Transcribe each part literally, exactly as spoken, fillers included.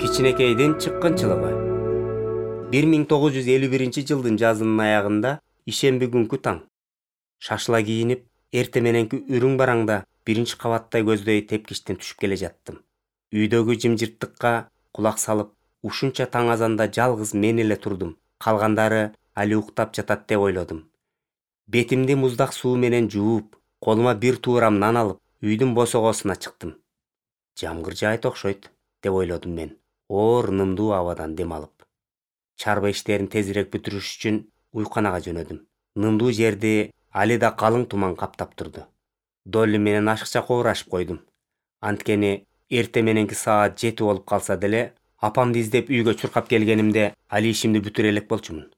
Кичинекейдин чыккынчылыгы. бир миң тогуз жүз элүү биринчи жылдын жазынын аягында ишемби күнкү таң. Шашыла кийинип, эрте мененки үрүң бараңда биринчи кабаттай көздөй тепкичтен түшүп келе жаттым. Үйдөгү жымжырттыкка кулак салып, ушунча таң азанда жалгыз мен эле турдум. Калгандары али уктап жатат деп ойлодум. Бетимди муздак суу менен жууп, колума бир туурам нан алып, үйдүн босогосуна чыктым. Жамгыр жаайт окшойт деп ойлодум мен. Оор нымдуу абадан дем алып. Чарба иштерин тезирээк бүтүрүш үчүн уйканага жөнөдүм. Нымдуу жерди али да калың туман каптап турду. Долли менен ашыкча кобурашып койдум. Анткени эрте мененки саат жети болуп калса деле, апамды издеп үйгө чуркап келгенимде али ишимди бүтүрө элек болчумун.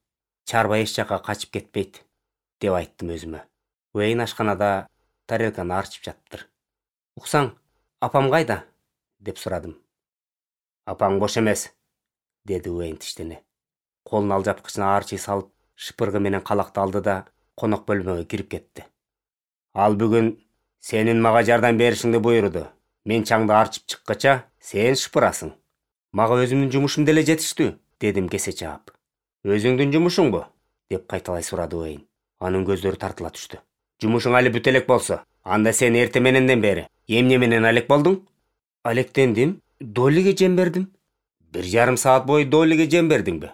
Чарба эч жакка качып кетпейт деп айттым өзүмө. Уэйн ашканада тарелканы арчып жатыптыр. Уксаң, апам кайда? Деп сурадым. Апаң бош эмес, деди Уэйн тиштене. Колун алжапкычына арчый салып, шыпыргы менен калакты алды да конок бөлмөгө кирип кетти. Ал бүгүн сенин мага жардам беришиңди буйруду. Мен чаңды арчып чыккача, сен шыпырасың. Мага өзүмдүн жумушум деле жетиштүү, дедим кесе чаап. Өзүңдүн жумушуңбу? Деп кайталай сурады Уэйн. Анын көздөрү тартыла түштү. Жумушуң али бүтө элек болсо, анда сен эрте мененден бери эмне менен алек болдуң? Алектендим, Доллиге жем бердим. Бир жарым саат бою Доллиге жем бердиңби?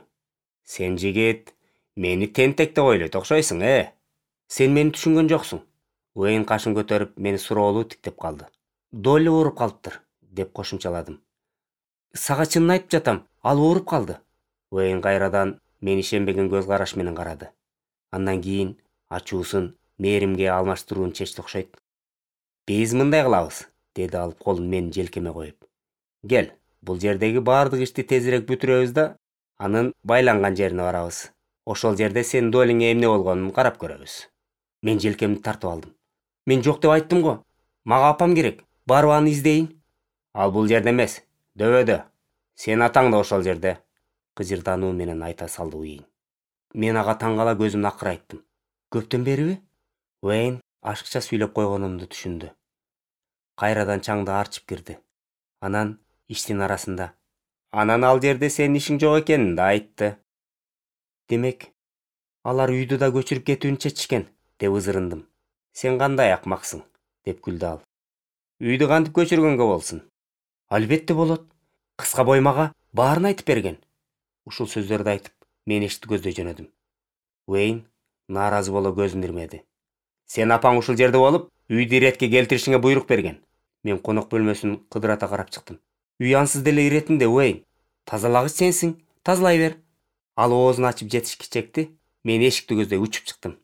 Сен жигит, мени тентек деп ойлойт окшойсуң, э? Сен мени түшүнгөн жоксуң. Уэйн кашын көтөрүп мени суроолуу тиктеп калды. Долли ооруп калыптыр, деп кошумчаладым. Сага чынын айтып жатам, ал ооруп калды. Уэйн кайрадан мени ишенбеген көз караш менен карады. Андан кийин ачуусун мээримге алмаштырууну чечти окшойт. Биз мындай кылабыз, деди ал колун менин желкеме коюп. Кел, бул жердеги баардык ишти тезирээк бүтүрөбүз да, анын байланган жерине барабыз. Ошол жерде сен Доллиңе эмне болгонун карап көрөбүз. Мен желкемди тартып алдым. Мен жок деп айттым го. Мага апам керек. Барып аны издейин. Ал бул жерде эмес, дөбөдө. Сен атаң да ошол жерде. Кыжырдануу менен айта салды Уэйн. Мен ага таң кала көзүмдү акырайттым. Көптөн бериби? Уэйн ашыкча сүйлөп койгонумду түшүндү. Кайрадан чаңды арчып кирди. Анан иштин арасында анан ал жерде сенин ишиң жок экенин да айтты. Демек, алар үйдү да көчүрүп кетүүнү чечишкен, деп ызырындым. Сен кандай акмаксың, деп күлдү ал. Үйдү кантип көчүргөнгө болсун? Албетте болот. Кыска бой мага баарын айтып берген. Ушул сөздөрдү айтып, мен эшикти көздөй жөнөдүм. Уэйн нааразы боло көзүн ирмеди. Сен апаң ушул жерде болуп, үйдү иретке келтиришиңе буйрук берген. Мен конок бөлмөсүн кыдырата карап чыктым. Үй ансыз деле иретинде, Уэйн. Тазалагыч сенсиң, тазалай бер. Ал оозун ачып жетишки чекти. Мен эшикти көздөй учуп чыктым.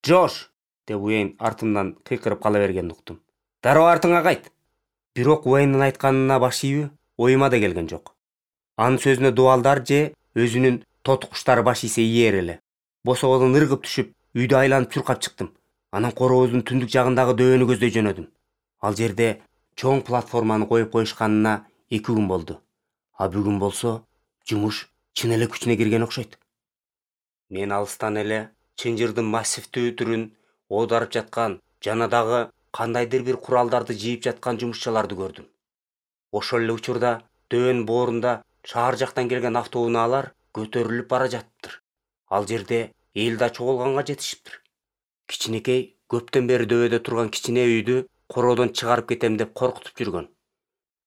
Джош! Деп Уэйн артымдан кыйкырып кала бергенди уктум. Дароо артыңа кайт. Бирок Уэйндин айтканына баш ийүү оюма да келген жок. Анын сөзүнө дубалдар же өзүнүн тоту куштары баш ийсе ийер эле. Босогодон ыргып түшүп, үйдү айланып чуркап чыктым. Анан коробуздун түндүк жагындагы дөбөнү көздөй жөнөдүм. Ал жерде чоң платформаны коюп коюшканына эки күн болду. А бүгүн болсо жумуш чын эле күчүнө кирген окшойт. Мен алыстан эле чынжырдын массивдүү түрүн оодарып жаткан жана дагы кандайдыр бир куралдарды жийип жаткан жумушчуларды көрдүм. Ошол эле учурда дөбөнүн боорунда шаар жактан келген автоунаалар көтөрүлүп бара жатыптыр. Ал жерде эл да чогулганга жетишиптир. Кичинекей көптөн бери дөбөдө турган кичине үйдү короодон чыгарып кетем деп коркутуп жүргөн.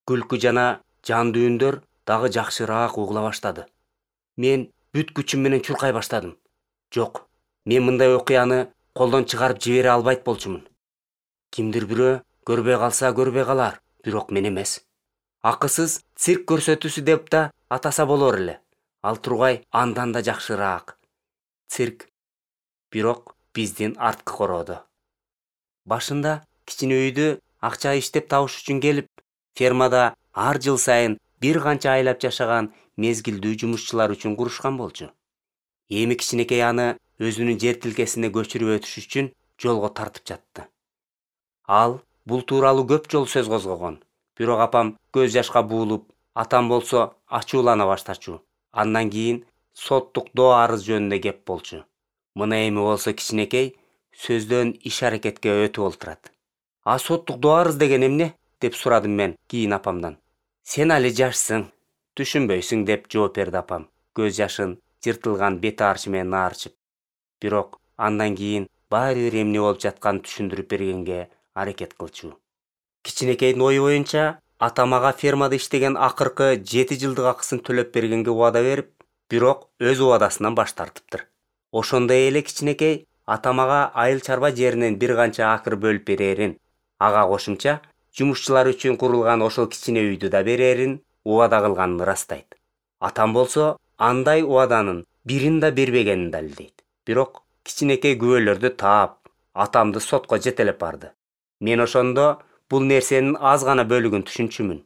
Күлкү жана жан дүйүндөр дагы жакшыраак угула баштады. Мен бүт күчүм менен чуркай баштадым. Жок, мен мындай окуяны колдон чыгарып жибере албайт болчумун. Кимдир бирөө көрбөй калса көрбөй калар, бирок мен эмес. Акысыз цирк көрсөтүүсү деп да атаса болор эле. Ал тургай андан да жакшыраак. Цирк, бирок биздин арткы короодо. Башында кичине үйдү акча иштеп табыш үчүн келип, фермада ар жыл сайын бир канча айлап жашаган мезгилдүү жумушчулар үчүн курушкан болчу. Эми кичинекей аны өзүнүн жер тилкесине көчүрүп өтүш үчүн жолго тартып жатты. Ал бул тууралуу көп жолу сөз козгогон. Бирок апам көз жашка буулуп, атам болсо ачуулана баштачу. Андан кийин соттук доо арыз жөнүндө кеп болчу. Мына эми болсо кичинекей сөздөн иш аракетке өтүп олтурат. А соттук доо арыз деген эмне? Деп сурадым мен кийин апамдан. Сен али жашсың. Түшүнбөйсүң деп жооп берди апам, көз жашын жыртылган бет арчы менен аарчып. Бирок андан кийин баары бир эмне болуп жатканын түшүндүрүп бергенге аракет кылчу. Кичинекейдин ою боюнча атам ага фермада иштеген акыркы жети жылдык акысын төлөп бергенге убада берип, бирок өз убадасынан баш тартыптыр. Ошондой эле кичинекей атам ага айыл чарба жеринен бир канча акыр бөлүп берерин, ага кошумча жумушчулар үчүн курулган ошол кичине үйдү да берерин убада кылганын ырастайт. Атам болсо андай убаданын бирин да бербегенин далилдейт. Бирок кичинекей күбөлөрдү таап, атамды сотко жетелеп барды. Мен ошондо бул нерсенин аз гана бөлүгүн түшүнчүмүн.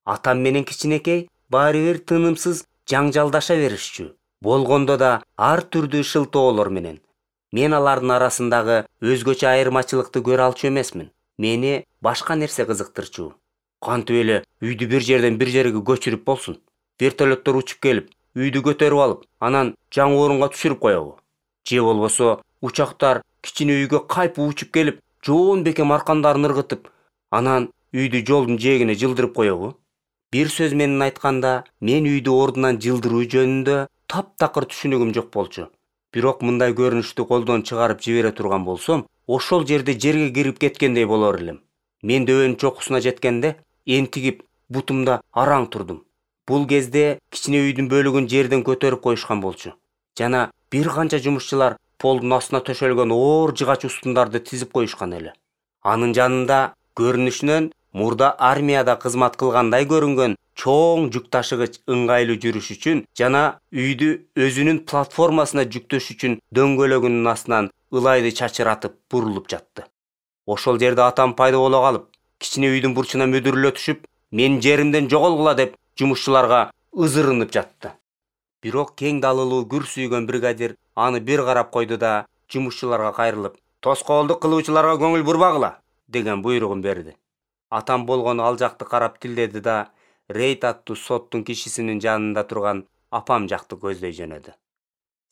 Атам менен кичинекей баары бир тынымсыз жаңжалдаша беришчү. Болгондо да ар түрдүү шылтоолор менен. Мен алардын арасындагы өзгөчө айырмачылыкты көрө алчу эмесмин. Мени башка нерсе кызыктырчу. Кантип эле үйдү бир жерден бир жерге көчүрүп болсун? Вертолеттор учуп келип, үйдү көтөрүп алып, анан жаңы орунга түшүрүп коебу? Же болбосо учактар кичине үйгө кайпып учуп келип, жоон бекем аркандарын ыргытып, анан үйдү жолдун жээгине жылдырып коебу? Бир сөз менен айтканда, мен үйдү ордунан жылдыруу жөнүндө таптакыр түшүнүгүм жок болчу. Бирок мындай көрүнүштү колдон чыгарып жибере турган болсом, ошол жерде жерге кирип кеткендей болор элем. Мен дөбөнүн чокусуна жеткенде энтигип бутумда араң турдум. Бул кезде кичине үйдүн бөлүгүн жерден көтөрүп коюшкан болчу. Жана бир канча жумушчулар полдун астына төшөлгөн оор жыгач устундарды тизип коюшкан эле. Анын жанында көрүнүшүнөн мурда армияда кызмат кылгандай көрүнгөн чоң жүк ташыгыч ыңгайлуу жүрүш үчүн жана үйдү өзүнүн платформасына жүктөш үчүн дөңгөлөгүнүн астынан ылайды чачыратып бурулуп жатты. Ошол жерде атам пайда боло калып, кичине үйдүн бурчуна мүдүрүлө түшүп, мен жеримден жоголгула деп жумушчуларга ызырынып жатты. Бирок кең далылуу күр сүйгөн бригадир аны бир карап койду да жумушчуларга кайрылып, тоскоолдук кылуучуларга көңүл бурбагыла деген буйругун берди. Атам болгону ал жакты карап тилдеди да рейд аттуу соттун кишисинин жанында турган апам жакты көздөй жөнөдү.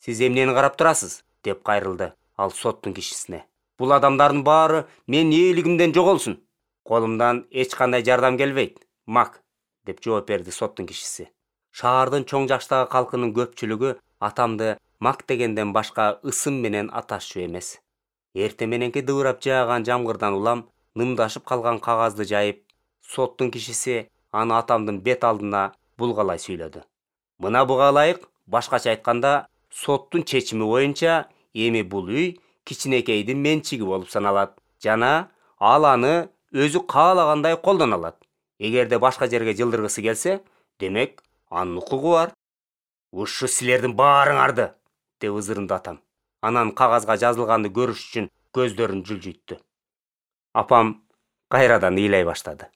Сиз эмнени карап турасыз? Деп кайрылды ал соттун кишисине. Бул адамдардын баары менин ээлигимден жоголсун. Колумдан эч кандай жардам келбейт, Мак, деп жооп берди соттун кишиси. Шаардын чоң жаштагы калкынын көпчүлүгү атамды Мак дегенден башка ысым менен аташчу эмес. Эрте мененки дыбырап жааган жамгырдан улам нымдашып калган кагазды жайып, соттун кишиси аны атамдын бет алдына булгалай сүйлөдү. Мына буга ылайык, башкача айтканда, соттун чечими боюнча эми бул үй кичинекейдин менчиги болуп саналат жана ал аны өзү каалагандай колдоно алат. Эгерде башка жерге жылдыргысы келсе, демек анын укугу бар. Ушу силердин баарыңарды, деп ызырынды атам. Анан кагазга жазылганды көрүш үчүн көздөрүн жылжыйтты. Апам кайрадан ыйлай баштады.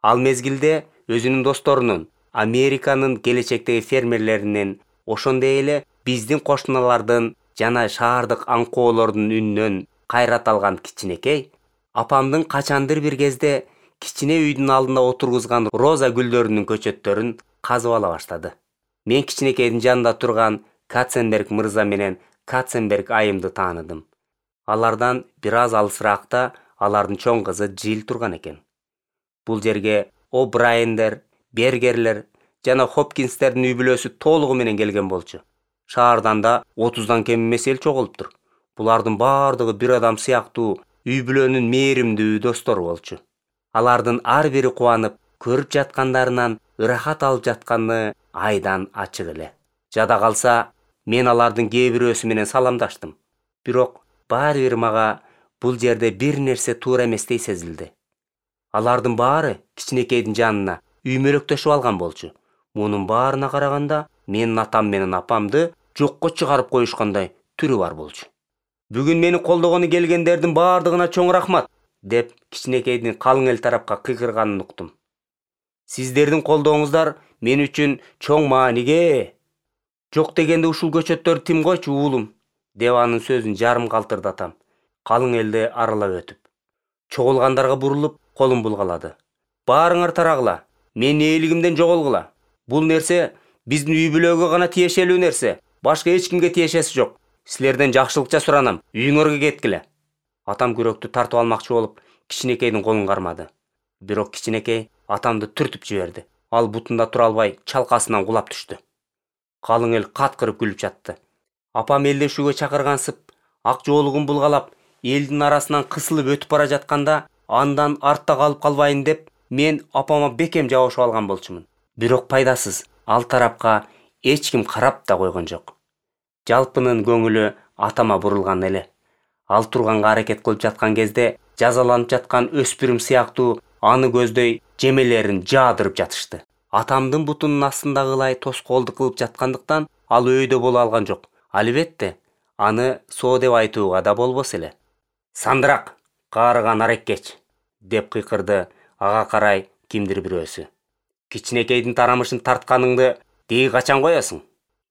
Ал мезгилде өзүнүн досторунун, Американын келечектеги фермерлеринин, ошондой эле биздин кошуналардын жана шаардык аңкоолордун үнүнөн кайрат алган кичинекей, апамдын качандыр бир кезде кичине үйдүн алдына отургузган роза гүлдөрүнүн көчөттөрүн казып ала баштады. Мен кичинекейдин жанында турган Катценберг мырза менен Катценберг айымды тааныдым. Алардан бир аз алысыраакта алардын чоң кызы Жил турган экен. Бул жерге О'Брайендер, Бергерлер жана Хопкинстердин үй бүлөсү толугу менен келген болчу. Шаардан да отуздан кем эмес эл чогулуптур. Булардын баардыгы бир адам сыяктуу үй бүлөнүн мээримдүү достору болчу. Алардын ар бири кубанып, көрүп жаткандарынан ырахат алып жатканы айдан ачык эле. Жада калса, мен алардын кээ бирөөсү менен саламдаштым. Бирок баары бир мага бул жерде бир нерсе туура эместей сезилди. Алардын баары кичинекейдин жанына үймөлөктөшүп алган болчу. Мунун баарына караганда, менин атам менен апамды жокко чыгарып коюшкандай түрү бар болчу. Бүгүн мени колдогону келгендердин баардыгына чоң рахмат, деп кичинекейдин калың эл тарапка кыйкырганын уктум. Сиздердин колдооңуздар мен үчүн чоң мааниге. Жок дегенде ушул көчөттөрдү тим койчу уулум, деп анын сөзүн жарым калтырды атам, калың элди аралап өтүп. Чогулгандарга бурулуп, колун булгалады. Баарыңар тарагыла, мен ээлигимден жоголгула. Бул нерсе биздин үй бүлөгө гана тиешелүү нерсе, башка эч кимге тиешеси жок. Силерден жакшылыкча суранам, үйүңөргө кеткиле. Атам күрөктү тартып алмакчы болуп, кичинекейдин колун кармады. Бирок кичинекей атамды түртүп жиберди. Ал бутунда тура албай чалкасынан кулап түштү. Калың эл каткырып күлүп жатты. Апам элдешүүгө чакыргансып, ак жоолугун булгалап, элдин арасынан кысылып өтүп бара жатканда, андан артта калып калбайын деп, мен апама бекем жабышып алган болчумун. Бирок пайдасыз, ал тарапка эч ким карап да койгон жок. Жалпынын көңүлү атама бурулган эле. Ал турганга аракет кылып жаткан кезде жазаланып жаткан өспүрүм сыяктуу аны көздөй жемелерин жаадырып жатышты. Атамдын бутунун астындагылай тоскоолдук кылып жаткандыктан ал өйдө боло алган жок. Албетте, аны соо деп айтууга да болбос эле. Сандырак, каарыган ареккеч, деп кыйкырды ага карай кимдир бирөөсү. Кичинекейдин тарамышын тартканыңды деги качан коесуң?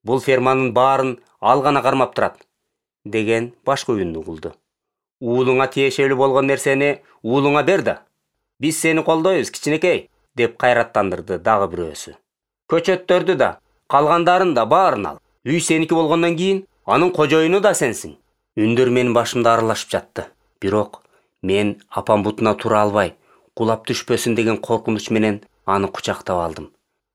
Бул ферманын баарын ал гана кармап турат, деген башка үннү угулду. Уулуңа тиешелүү болгон нерсени уулуңа бер да. Биз сени колдойбуз, кичинекей, деп кайраттандырды дагы бирөөсү. Көчөттөрдү да, калгандарын да баарын ал. Үй сеники болгондон кийин анын кожоюну да сенсиң. Үндөр менин башымда аралашып жатты. Бирок мен апам бутуна тура албай, кулап түшпөсүн деген коркунуч менен аны кучактап алдым.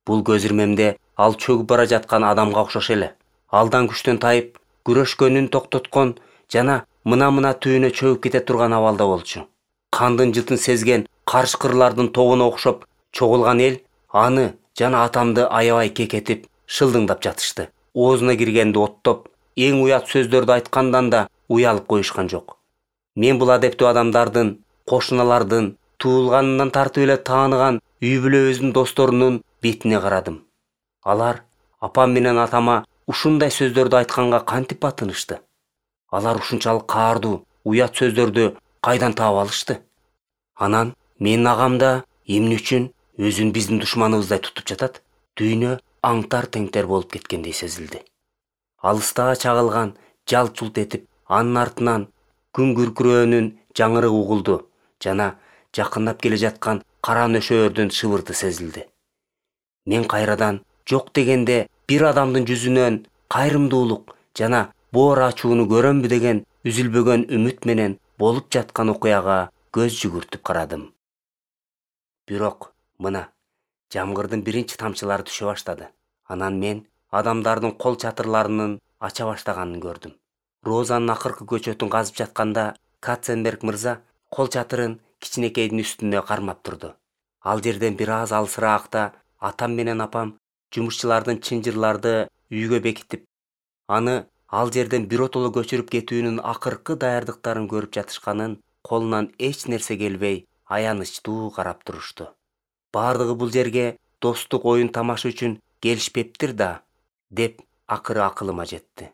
Бул көз ирмемде ал чөгүп бара жаткан адамга окшош эле. Алдан күчтөн тайып, күрөшкөнүн токтоткон жана мына-мына түбүнө чөгүп кете турган абалда болчу. Кандын жытын сезген карышкырлардын тобуна окшоп чогулган эл аны жана атамды аябай кекетип, шылдыңдап жатышты. Оозуна киргенди оттоп, эң уят сөздөрдү айткандан да уялып коюшкан жок. Мен бул адептүү адамдардын, кошуналардын, туулганынан тартып эле тааныган үй бүлөбүздүн досторунун бетине карадым. Алар апам менен атама ушундай сөздөрдү айтканга кантип батынышты? Алар ушунчалык каардуу, уят сөздөрдү кайдан таап алышты? Анан менин агам да эмне үчүн өзүн биздин душманыбыздай тутуп жатат? Дүйнө аңтар-теңтер болуп кеткендей сезилди. Алыстага чагылган жалт-жулт этип, анын артынан күн күркүрөөнүн жаңырыгы угулду жана жакындап келе жаткан кара нөшөөрдүн шыбырты сезилди. Мен кайрадан жок дегенде бир адамдын жүзүнөн кайрымдуулук жана боор ачууну көрөмбү деген үзүлбөгөн үмүт менен болуп жаткан окуяга көз жүгүртүп карадым. Бирок мына жамгырдын биринчи тамчылары түшө баштады. Анан мен адамдардын кол чатырларынын ача баштаганын көрдүм. Розанын акыркы көчөтүн казып жатканда Катценберг мырза кол чатырын кичинекейдин үстүнө кармап турду. Ал жерден бир аз алысыраакта атам менен апам жумушчулардын чынжырларды үйгө бекитип, аны ал жерден биротоло көчүрүп кетүүнүн акыркы даярдыктарын көрүп жатышканын колунан эч нерсе келбей аянычтуу карап турушту. Бардыгы бул жерге достук оюн тамаша үчүн келишпептир да, деп акыры акылыма жетти.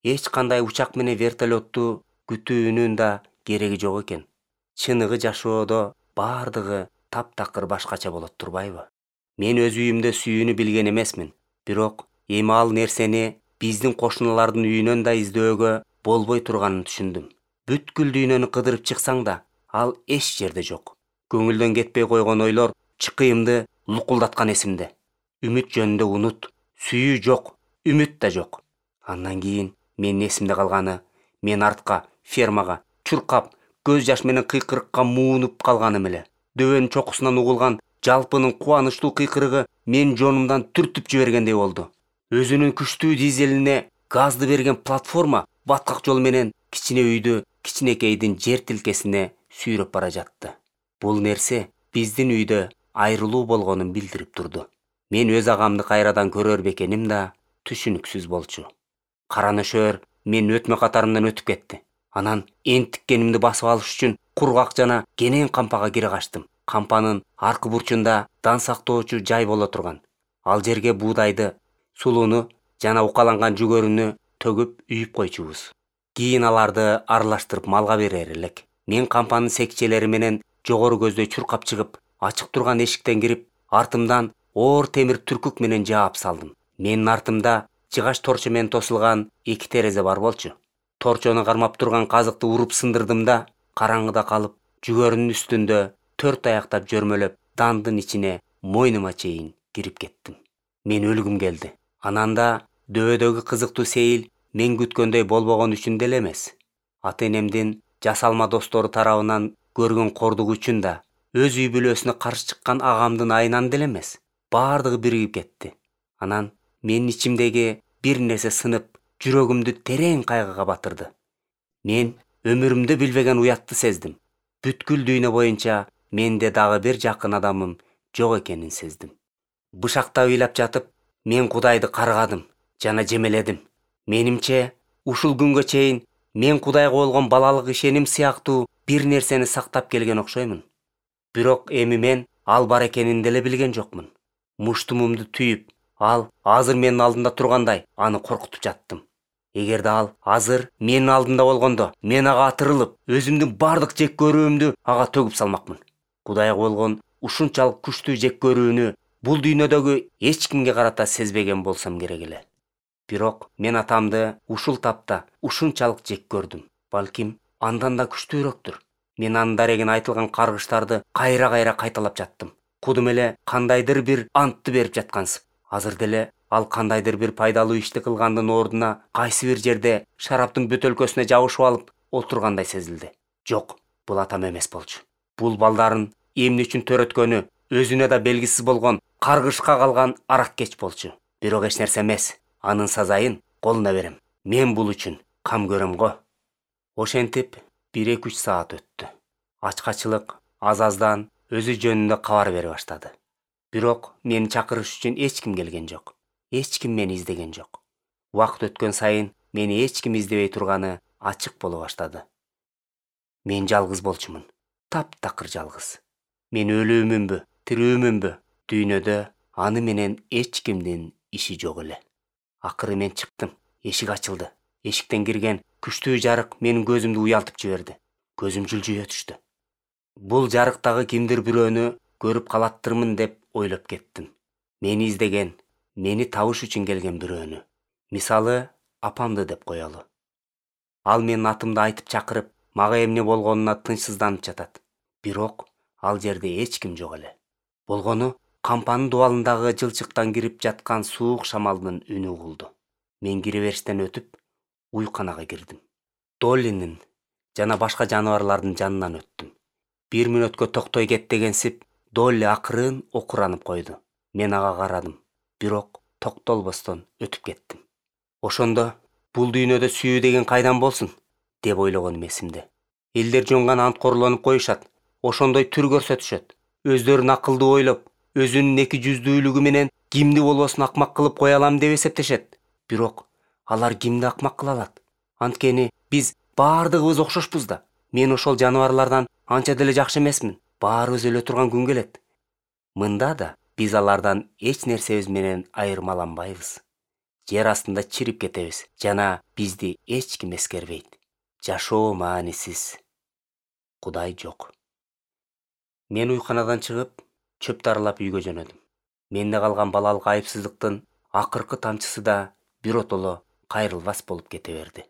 Эч кандай учак менен вертолетту күтүүнүн да кереги жок экен. Чыныгы жашоодо бардыгы таптакыр башкача болот турбайбы? Мен өз үйүмдө сүйүүнү билген эмесмин. Бирок эми ал нерсени биздин кошуналардын үйүнөн да издөөгө болбой турганын түшүндүм. Бүткүл дүйнөнү кыдырып чыксаң да, ал эч жерде жок. Көңүлдөн кетпей койгон ойлор чыкыйымды лукулдаткан эсимде. Үмүт жөнүндө унут, сүйүү жок, үмүт да жок. Андан кийин менин эсимде калганы, мен артка, фермага, чуркап, көз жаш менен кыйкырыкка муунуп калганым эле. Дөбөнүн чокусунан угулган жалпынын кубанычтуу кыйкырыгы мен жонумдан түртүп жибергендей болду. Өзүнүн күчтүү дизелине газды берген платформа баткак жол менен кичине үйдү кичинекейдин жер тилкесине сүйрөп бара жатты. Бул нерсе биздин үйдө айрылуу болгонун билдирип турду. Мен өз агамды кайрадан көрөр бекеним да түшүнүксүз болчу. Кара нөшөр мен өтмө катарымдан өтүп кетти. Анан энтиккенимди басып алыш үчүн кургак жана кенен кампага кире качтым. Кампанын аркы бурчунда дан сактоочу жай боло турган. Ал жерге буудайды, сулууну жана укаланган жүгөрүнү төгүп үйүп койчубуз. Кийин аларды аралаштырып малга берер элек. Мен кампанын секчелери менен жогору көздөй чуркап чыгып, ачык турган эшиктен кирип, артымдан оор темир түркүк менен жаап салдым. Менин артымда жыгач торчо менен тосулган эки терезе бар болчу. Торчону кармап турган казыкты уруп сындырдым да, караңгыда калып, жүгөрүнүн үстүндө төрт аяктап жөрмөлөп, дандын ичине мойнума чейин кирип кеттим. Мен өлгүм келди. Анан да дөбөдөгү кызыктуу сейил мен күткөндөй болбогон үчүн деле эмес. Ата-энемдин жасалма достору тарабынан көргөн кордугу үчүн да, өз үй бүлөсүнө каршы чыккан агамдын айынан деле эмес. баардыгы биригип кетти. Анан менин ичимдеги бир нерсе сынып, жүрөгүмдү терең кайгыга батырды. Мен өмүрүмдө билбеген уятты сездим. Бүткүл дүйнө боюнча менде дагы бир жакын адамым жок экенин сездим. Бышактап ыйлап жатып, мен Кудайды каргадым жана жемеледим. Менимче, ушул күнгө чейин мен Кудайга болгон балалык ишеним сыяктуу бир нерсени сактап келген окшоймун. Бирок эми мен ал бар экенин деле билген жокмун. Муштумумду түйүп, ал азыр менин алдымда тургандай аны коркутуп жаттым. Эгерде ал азыр менин алдымда болгондо, мен ага атырылып, өзүмдүн бардык жек көрүүмдү ага төгүп салмакмын. Кудайга болгон ушунчалык күчтүү жек көрүүнү бул дүйнөдөгү эч кимге карата сезбеген болсом керек эле. Бирок мен атамды ушул тапта ушунчалык жек көрдүм. Балким андан да күчтүүрөөктүр. Мен анын дарегине айтылган каргыштарды кайра-кайра кайталап жаттым. Кудум эле кандайдыр бир антты берип жаткансып. Азыр деле ал кандайдыр бир пайдалуу ишти кылгандын ордуна кайсы бир жерде шараптын бөтөлкөсүнө жабышып алып отургандай сезилди. Жок, бул атам эмес болчу. Бул балдарын эмне үчүн төрөткөнү өзүнө да белгисиз болгон каргышка калган араккеч болчу. Бирок эч нерсе эмес. Анын сазайын колуна берем. Мен бул үчүн кам көрөм го. Ошентип бир-эки үч саат өттү. Ачкачылык аз-аздан өзү жөнүндө кабар бере баштады. Бирок мени чакырыш үчүн эч ким келген жок. Эч ким мени издеген жок. Убакыт өткөн сайын мени эч ким издебей турганы ачык боло баштады. Мен жалгыз болчумун. Таптакыр жалгыз. Мен өлүүмүнбү, тирүүмүнбү? Дүйнөдө аны менен эч кимдин иши жок эле. Акыры мен чыктым. Эшик ачылды. Эшиктен кирген күчтүү жарык менин көзүмдү уялтып жиберди. Көзүм жылжыя түштү. Бул жарыктагы кимдир бирөөнү көрүп калаттырмын деп ойлоп кеттим. Мени издеген, мени табыш үчүн келген бирөөнү. Мисалы, апамды деп коелу. Ал менин атымды айтып чакырып, мага эмне болгонуна тынчсызданып жатат. Бирок ал жерде эч ким жок эле. Болгону кампанын дубалындагы жылчыктан кирип жаткан суук шамалдын үнү угулду. Мен кире бериштен өтүп, уйканага кирдим. Доллинин жана башка жаныбарлардын жанынан өттүм. Бир мүнөткө токтой кет дегенсип, Долли акырын окуранып койду. Мен ага карадым, бирок токтолбостон өтүп кеттим. Ошондо бул дүйнөдө сүйүү деген кайдан болсун деп ойлогонум эсимде. Элдер жонган анткорлонуп коюшат, ошондой түр көрсөтүшөт. Өздөрүн акылдуу ойлоп, өзүнүн эки жүздүүлүгү менен кимди болбосун акмак кылып кое алам деп эсептешет. Бирок алар кимди акмак кыла алат? Анткени биз баардыгыбыз окшошпуз да. Мен ошол жаныбарлардан анча деле жакшы эмесмин. Баарыбыз өлө турган күн келет. Мында да биз алардан эч нерсебиз менен айырмаланбайбыз. Жер астында чирип кетебиз жана бизди эч ким эскербейт. Жашоо маанисиз. Кудай жок. Мен уйканадан чыгып, чөптү аралап үйгө жөнөдүм. Менде калган балалык айыпсыздыктын акыркы тамчысы да биротоло кайрылбас болуп кете берди.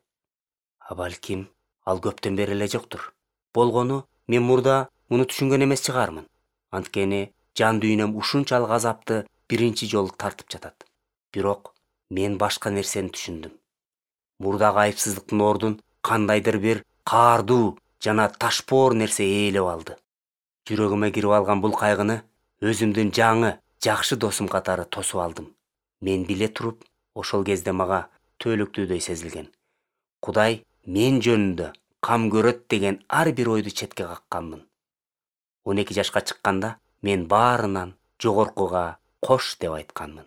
А балким ал көптөн бери эле жоктур. Болгону мен мурда муну түшүнгөн эмес чыгармын. Анткени жан дүйнөм ушунчалык азапты биринчи жолу тартып жатат. Бирок мен башка нерсени түшүндүм. Мурдагы айыпсыздыктын ордун кандайдыр бир каардуу жана ташпоор нерсе ээлеп алды. Жүрөгүмө кирип алган бул кайгыны өзүмдүн жаңы, жакшы досум катары тосуп алдым. Мен биле туруп, ошол кезде мага түбөлүктүүдөй сезилген. Кудай мен жөнүндө кам көрөт деген ар бир ойду четке какканмын. он эки жашка чыкканда мен баарынан жогоркуга кош деп айтканмын.